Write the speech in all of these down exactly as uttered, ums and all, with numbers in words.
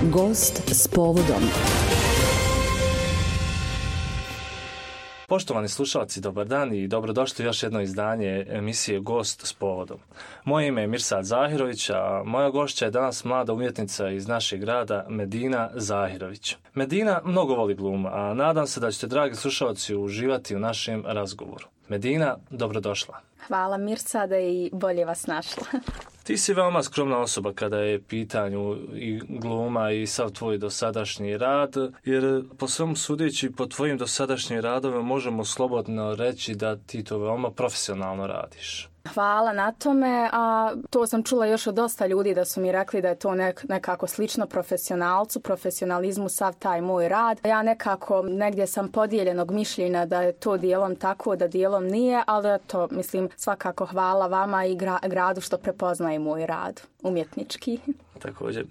Gost s povodom. Poštovani slušalci, dobar dan i dobrodošli u još jedno izdanje emisije Gost s povodom. Moje ime je Mirsad Zahirović, a moja gošća je danas mlada umjetnica iz našeg grada Medina Zahirović. Medina mnogo voli glumu, a nadam se da ćete, dragi slušalci, uživati u našem razgovoru. Medina, dobrodošla. Hvala Mirsade i bolje vas našla. Ti si veoma skromna osoba kada je pitanju i gluma i sav tvoj dosadašnji rad, jer po svemu sudeći po tvojim dosadašnjim radovima možemo slobodno reći da ti to veoma profesionalno radiš. Hvala na tome, a to sam čula još od dosta ljudi da su mi rekli da je to nek, nekako slično profesionalcu, profesionalizmu, sav taj moj rad. Ja nekako negdje sam podijeljenog mišljenja da je to dijelom tako, da dijelom nije, ali to mislim svakako hvala vama i gra, gradu što prepoznaje moj rad umjetnički. Također. E,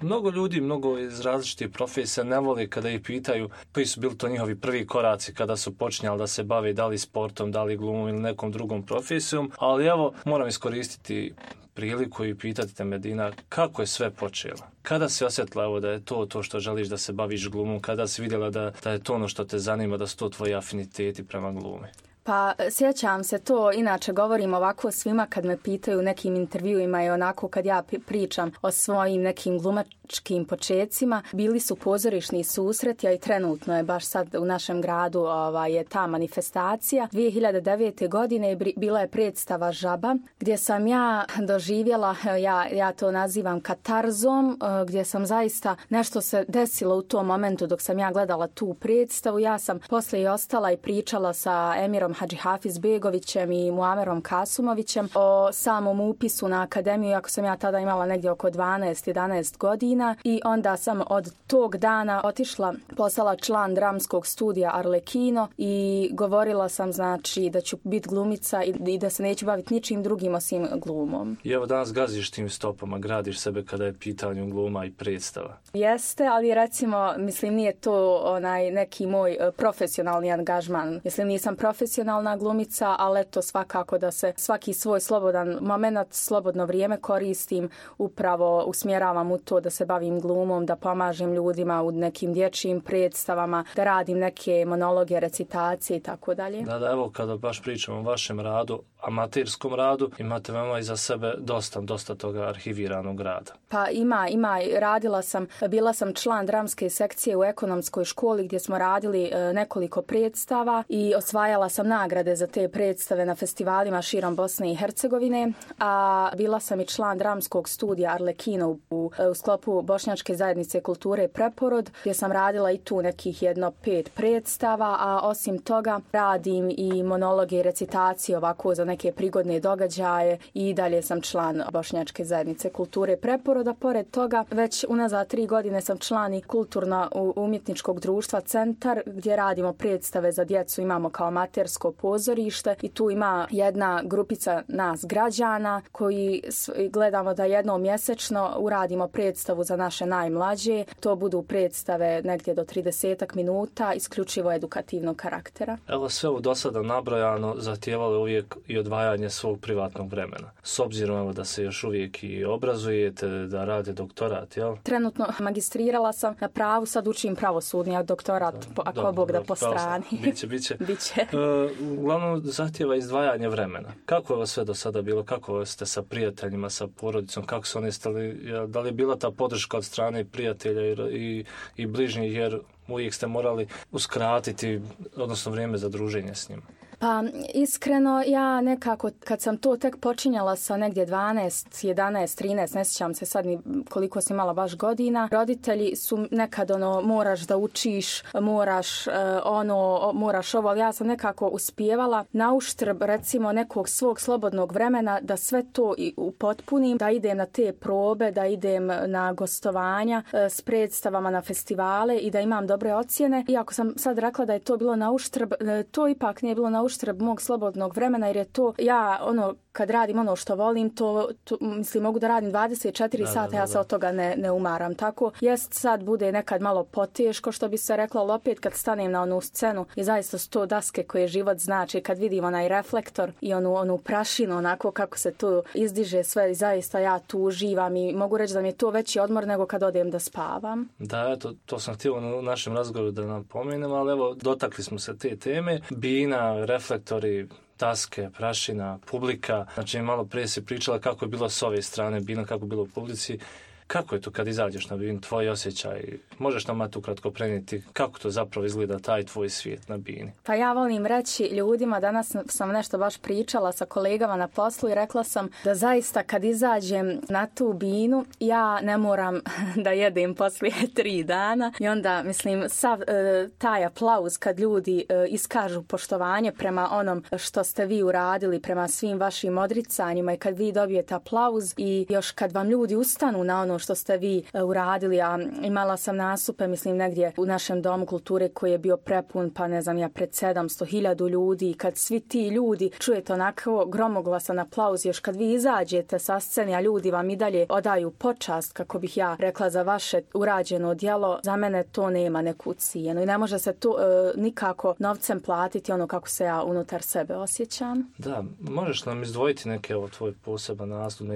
mnogo ljudi, mnogo iz različitih profesija ne voli kada ih pitaju koji su bili to njihovi prvi koraci kada su počinjali da se bave da li sportom, da li glumom ili nekom drugom profesijom, ali evo moram iskoristiti priliku i pitati te, Medina, kako je sve počelo? Kada si osjetila evo, da je to to što želiš da se baviš glumom? Kada si vidjela da, da je to ono što te zanima, da su to tvoji afiniteti prema glumi? Pa sjećam se to, inače govorim ovako svima kad me pitaju u nekim intervjuima i onako kad ja pričam o svojim nekim glumačkim počecima. Bili su pozorišni susreti, a i trenutno je baš sad u našem gradu ova, je ta manifestacija. dvije hiljade devete. godine bila je predstava Žaba gdje sam ja doživjela, ja, ja to nazivam katarzom, gdje sam zaista nešto se desilo u tom momentu dok sam ja gledala tu predstavu. Ja sam poslije ostala i pričala sa Emirom Hadžihafiz-begovićem i Muamerom Kasumovićem o samom upisu na akademiju, iako sam ja tada imala negdje oko dvanaest jedanaest godina, i onda sam od tog dana otišla, postala član dramskog studija Arlekino i govorila sam znači da ću biti glumica i, i da se neću baviti ničim drugim osim glumom. I evo danas gaziš tim stopama, gradiš sebe kada je pitanju gluma i predstava. Jeste, ali recimo, mislim, nije to onaj neki moj profesionalni angažman. Mislim, nisam profesionalna glumica, ali eto svakako da se svaki svoj slobodan moment, slobodno vrijeme koristim, upravo usmjeravam u to da se bavim glumom, da pomažem ljudima u nekim dječjim predstavama, da radim neke monologe, recitacije i tako dalje. Da, da, evo kada baš pričamo o vašem radu, amaterskom radu, imate veoma iza sebe dosta, dosta toga arhiviranog rada. Pa ima, ima, radila sam, bila sam član dramske sekcije u ekonomskoj školi gdje smo radili nekoliko predstava i osvajala sam nagrade za te predstave na festivalima širom Bosne i Hercegovine, a bila sam i član dramskog studija Arlekino u, u, u sklopu Bošnjačke zajednice kulture Preporod, gdje sam radila i tu nekih jedno pet predstava, a osim toga radim i monologe i recitacije ovako za neke prigodne događaje i dalje sam član Bošnjačke zajednice kulture Preporoda. Pored toga, već unazad tri godine sam član i kulturno-umjetničkog društva Centar, gdje radimo predstave za djecu, imamo kao amatersko pozorište i tu ima jedna grupica nas građana koji gledamo da jednom mjesečno uradimo predstavu za naše najmlađe. To budu predstave negdje do tridesetak minuta, isključivo edukativnog karaktera. Evo sve u dosada nabrojano zahtijevalo uvijek i odvajanje svog privatnog vremena. S obzirom evo da se još uvijek i obrazujete, da rade doktorat, jel? Trenutno magistrirala sam na pravu, sad učim pravosudni, a doktorat, da, ako do, Bog do, da po strani. Biće, biće. Biće. Uh, uglavnom zahtijeva izdvajanje vremena. Kako je ovo sve do sada bilo? Kako ste sa prijateljima, sa porodicom? Kako su oni stali? Da li je bila ta podrška od strane prijatelja i, i, i bližnjih, jer uvijek ste morali uskratiti, odnosno vrijeme za druženje s njima? Pa iskreno ja nekako kad sam to tek počinjala sa negdje dvanaest, jedanaest, trinaest, ne sjećam se sad ni koliko sam imala baš godina, roditelji su nekad ono moraš da učiš, moraš uh, ono, moraš ovo, ali ja sam nekako uspijevala na uštrb recimo nekog svog slobodnog vremena da sve to i upotpunim, da idem na te probe, da idem na gostovanja uh, s predstavama na festivale i da imam dobre ocjene. Iako sam sad rekla da je to bilo na uštrb, uh, to ipak nije bilo na uštrb mog slobodnog vremena, jer je to, ja ono kad radim ono što volim, to, to mislim, mogu da radim dvadeset četiri da, sata, da, da, ja se da. od toga ne, ne umaram. Tako, jest sad bude nekad malo poteško, što bi se reklo, ali opet kad stanem na onu scenu i zaista sto daske koje život znači, kad vidim onaj reflektor i onu, onu prašinu, onako kako se tu izdiže sve i zaista ja tu uživam i mogu reći da mi je to veći odmor nego kad odem da spavam. Da, to, to sam htio u našem razgovoru da napomenem, ali evo, dotakli smo se te teme. Bina, reflektori, daske, prašina, publika. Znači, malo prije si pričala kako je bilo s ove strane bina, kako je bilo u publici. Kako je to kad izađeš na binu, tvoj osjećaj? Možeš nam tu kratko prenijeti kako to zapravo izgleda taj tvoj svijet na bini? Pa ja volim reći ljudima, danas sam nešto baš pričala sa kolegama na poslu i rekla sam da zaista kad izađem na tu binu, ja ne moram da jedem poslije tri dana i onda, mislim, sav e, taj aplauz kad ljudi e, iskažu poštovanje prema onom što ste vi uradili, prema svim vašim odricanjima i kad vi dobijete aplauz i još kad vam ljudi ustanu na ono što ste vi uh, uradili, a imala sam nastupe, mislim, negdje u našem domu kulture koji je bio prepun, pa ne znam ja, pred sedamsto hiljada ljudi i kad svi ti ljudi čujete onako gromoglasan aplauz, još kad vi izađete sa scene, a ljudi vam i dalje odaju počast, kako bih ja rekla, za vaše urađeno djelo, za mene to nema neku cijenu i ne može se to uh, nikako novcem platiti ono kako se ja unutar sebe osjećam. Da, možeš nam izdvojiti neke ovo tvoj poseban nastup,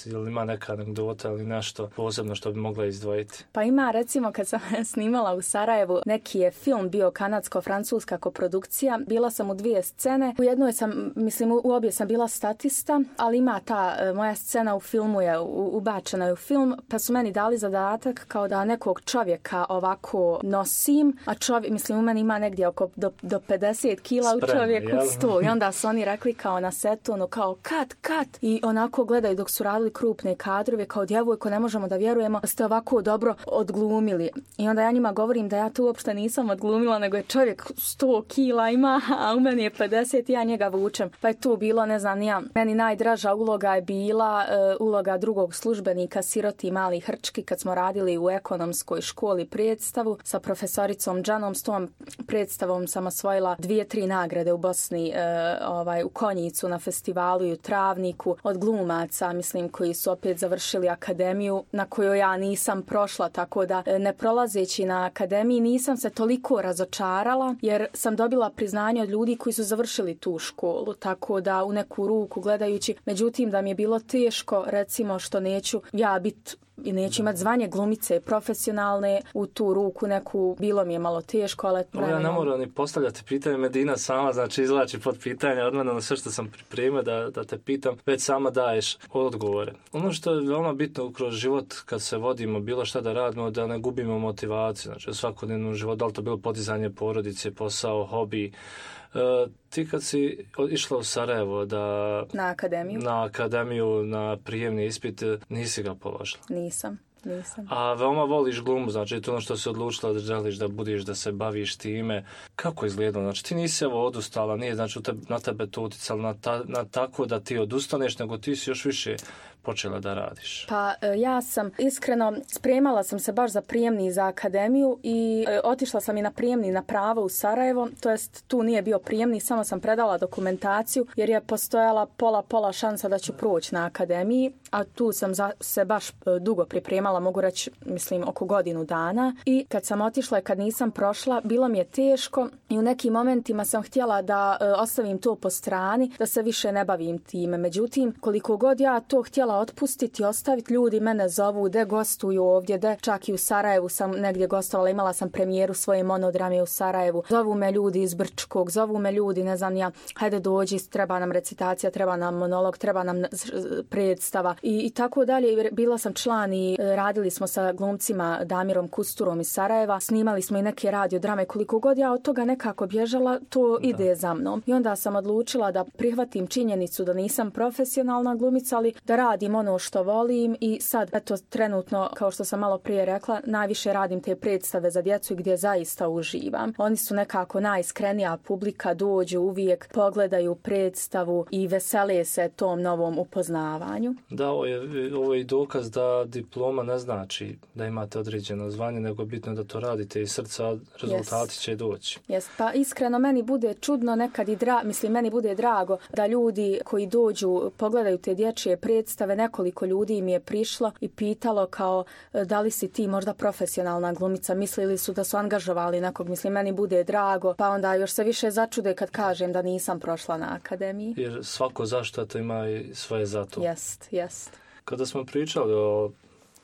ili ima neka anegdota ili nešto posebno što bi mogla izdvojiti? Pa ima, recimo, kad sam snimala u Sarajevu, neki je film bio kanadsko-francuska koprodukcija. Bila sam u dvije scene. U jednoj sam, mislim, u obje sam bila statista, ali ima ta moja scena u filmu je ubačena je u film, pa su meni dali zadatak kao da nekog čovjeka ovako nosim, a čovjek, mislim, u meni ima negdje oko do, do pedeset kila u čovjeku sto. I onda su oni rekli kao na setu, ono kao kat, kat. I onako gledaju dok su radili krupne kadrove, kao djevojko, ne možemo da vjerujemo da ste ovako dobro odglumili. I onda ja njima govorim da ja tu uopšte nisam odglumila, nego je čovjek sto kila ima, a u meni je pedeset i ja njega vučem. Pa je tu bilo, ne znam, ja, meni najdraža uloga je bila uh, uloga drugog službenika, siroti mali hrčki, kad smo radili u ekonomskoj školi predstavu sa profesoricom Džanom. S tom predstavom sam osvojila dvije, tri nagrade u Bosni, uh, ovaj, u Konjicu na festivalu i u Travniku od glumaca, mislim, koji su opet završili akademiju na kojoj ja nisam prošla, tako da ne prolazeći na akademiji nisam se toliko razočarala jer sam dobila priznanje od ljudi koji su završili tu školu, tako da u neku ruku gledajući, međutim da mi je bilo teško, recimo, što neću ja biti i neću imati zvanje glumice profesionalne, u tu ruku neku, bilo mi je malo teško, ali... Ja ne moram ni postavljati pitanje, Medina sama, znači, izlači pod pitanje od mene na sve što sam pripremio da, da te pitam, već sama daješ odgovore. Ono što je veoma bitno kroz život kad se vodimo, bilo šta da radimo, da ne gubimo motivaciju, znači u svakodnevnom životu, da li to bilo podizanje porodice, posao, hobi. Uh, ti kad si išla u Sarajevo da... Na akademiju. Na akademiju, na prijemni ispit, nisi ga položila? Nisam. Nisam. A veoma voliš glumu, znači to ono što si odlučila da želiš da budiš, da se baviš time. Kako izgledalo? Znači ti nisi evo odustala, nije znači te, na tebe to uticalo na, ta, na tako da ti odustaneš, nego ti si još više počela da radiš. Pa ja sam iskreno spremala sam se baš za prijemni za akademiju i e, otišla sam i na prijemni na pravo u Sarajevo, to jest tu nije bio prijemni, samo sam predala dokumentaciju jer je postojala pola pola šansa da ću proći na akademiji, a tu sam za, se baš e, dugo pripremala, mogu reći, mislim, oko godinu dana i kad sam otišla i kad nisam prošla, bilo mi je teško i u nekim momentima sam htjela da e, ostavim to po strani, da se više ne bavim time. Međutim, koliko god ja to htjela otpustiti, ostaviti, ljudi mene zovu, de gostuju ovdje, de čak i u Sarajevu sam negdje gostovala, imala sam premijeru svoje monodrame u Sarajevu. Zovu me ljudi iz Brčkog, zovu me ljudi, ne znam ja, hajde dođi, treba nam recitacija, treba nam monolog, treba nam predstava i, i tako dalje. Bila sam član i radili smo sa glumcima Damirom Kusturom iz Sarajeva, snimali smo i neke radiodrame. Koliko god ja od toga nekako bježala, to da. ide za mnom. I onda sam odlučila da prihvatim činjenicu da nisam profesionalna glumica, ali da radim radim ono što volim i sad, eto, trenutno, kao što sam malo prije rekla, najviše radim te predstave za djecu gdje zaista uživam. Oni su nekako najiskrenija publika, dođu uvijek, pogledaju predstavu i vesele se tom novom upoznavanju. Da, ovo je, ovo je i dokaz da diploma ne znači da imate određeno zvanje, nego bitno da to radite iz srca, rezultati yes. će doći. Yes. Pa iskreno, meni bude čudno nekad i dra, mislim, meni bude drago da ljudi koji dođu, pogledaju te dječje predstave, nekoliko ljudi mi je prišlo i pitalo kao da li si ti možda profesionalna glumica, mislili su da su angažovali nekog, mislim, meni bude drago, pa onda još se više začude kad kažem da nisam prošla na akademiji. Jer svako zašto to ima i svoje zato. Jest, jest. Kada smo pričali o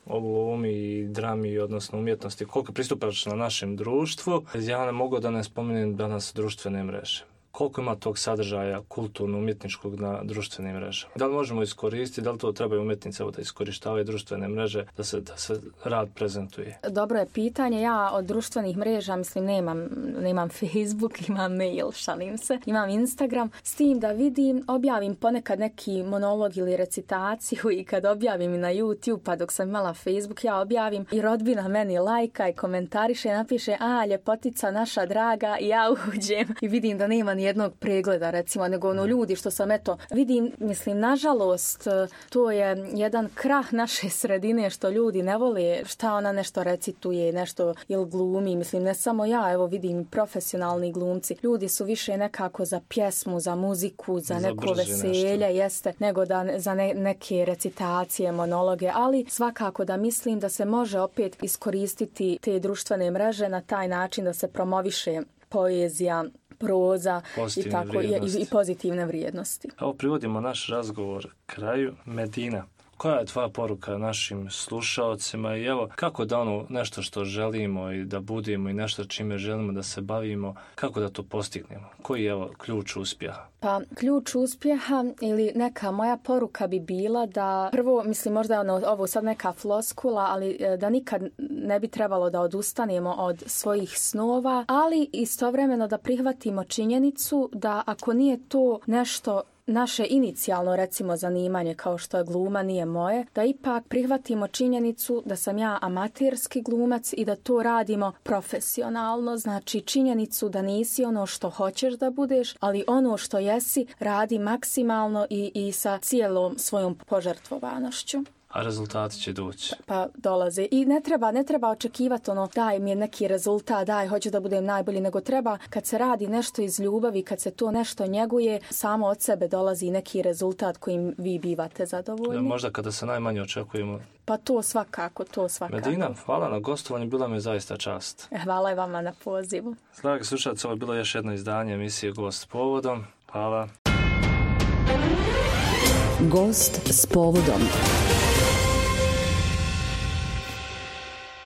o glumi i drami, odnosno umjetnosti, koliko pristupaš na našem društvu, ja ne mogu da ne spomenem danas društvene mreže. Koliko ima tog sadržaja kulturno-umjetničkog na društvenim mrežama? Da li možemo iskoristiti, da li to trebaju umjetnice da iskorištavaju društvene mreže, da se, da se rad prezentuje? Dobro je pitanje. Ja od društvenih mreža, mislim, nemam, nemam Facebook, imam mail, šalim se, imam Instagram. S tim da vidim, objavim ponekad neki monolog ili recitaciju i kad objavim i na YouTube, pa dok sam imala Facebook, ja objavim i rodbina meni lajka i komentariše, napiše, a, ljepotica naša draga, i ja uđem i vidim da nema ni jednog pregleda, recimo, nego ono ljudi što sam, eto, vidim, mislim, nažalost, to je jedan krah naše sredine što ljudi ne vole šta ona nešto recituje, nešto ili glumi, mislim, ne samo ja, evo vidim profesionalni glumci, ljudi su više nekako za pjesmu, za muziku, za, za neko veselje, nešto. Jeste, nego da za ne, neke recitacije, monologe, ali svakako da mislim da se može opet iskoristiti te društvene mreže na taj način da se promoviše poezija, proza i, tako, i, i pozitivne vrijednosti. Evo privodimo naš razgovor kraju. Medina, koja je tvoja poruka našim slušaocima i evo kako da ono nešto što želimo i da budemo i nešto čime želimo da se bavimo, kako da to postignemo? Koji je evo ključ uspjeha? Pa ključ uspjeha ili neka moja poruka bi bila da prvo, mislim možda je ono, ovo sad neka floskula, ali da nikad ne bi trebalo da odustanemo od svojih snova, ali istovremeno da prihvatimo činjenicu da ako nije to nešto naše inicijalno, recimo, zanimanje kao što je gluma, nije moje, da ipak prihvatimo činjenicu da sam ja amaterski glumac i da to radimo profesionalno, znači činjenicu da nisi ono što hoćeš da budeš, ali ono što jesi radi maksimalno i, i sa cijelom svojom požrtvovanošću. A rezultati će doći. Pa dolaze. I ne treba, ne treba očekivati ono, daj mi je neki rezultat, daj, hoću da budem najbolji, nego treba kad se radi nešto iz ljubavi, kad se to nešto njeguje, samo od sebe dolazi neki rezultat kojim vi bivate zadovoljni. Možda kada se najmanje očekujemo. Pa to svakako, to svakako. Medina, hvala na gostovanju, bila mi je zaista čast. Hvala i vama na pozivu. Dragi slušalci, ovo je bilo još jedno izdanje emisije Gost povodom. Hvala. Gost s povodom.